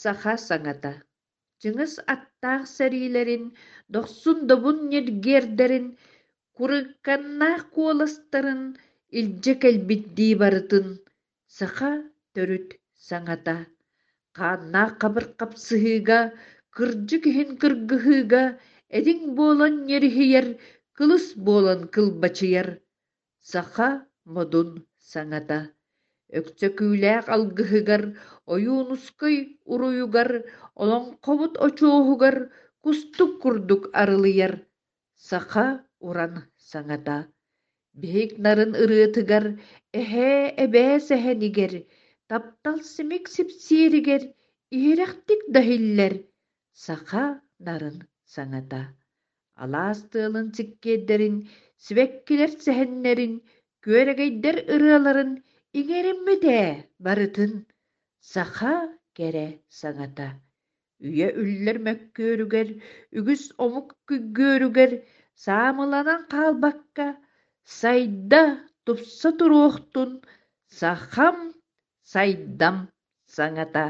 Саха саҥата Чыҥыс аттаах сэриилэрин, дохсун-добун ньиргиэрдэрин, курыканнаах куоластарын илдьэ кэлбит дии барытын саха төрүт саҥата. Хааннаах хабыр хапсыһыыга, кырдьык иһин кыргыһыыга этиҥ буолан ньириһийэр, кылыс буолан кылбачыйар саха модун саҥата. Өксөкүүлээх алгыһыгар, Ойуунускай уруйугар, олоҥхобут очуоһугар кустук курдук арылыйар саха уран саҥата. Биһик нарын ырыатыгар, эһээ, эбээ сэһэнигэр, таптал симик сипсиэригэр иһирэхтик да иһиллэр саха нарын саҥата. Алаас тыалын сиккиэрдэрин, сибэккилэр сэһэннэрин, күөрэгэйдэр ырыаларын иҥэриммит ээ барытын саха кэрэ саҥата. Үйэ үллэр мөккүөрүгэр, үгүс омук күйгүөрүгэр саамыланан хаалбакка, сайда, тупса туруохтун сахам сайдам саҥата.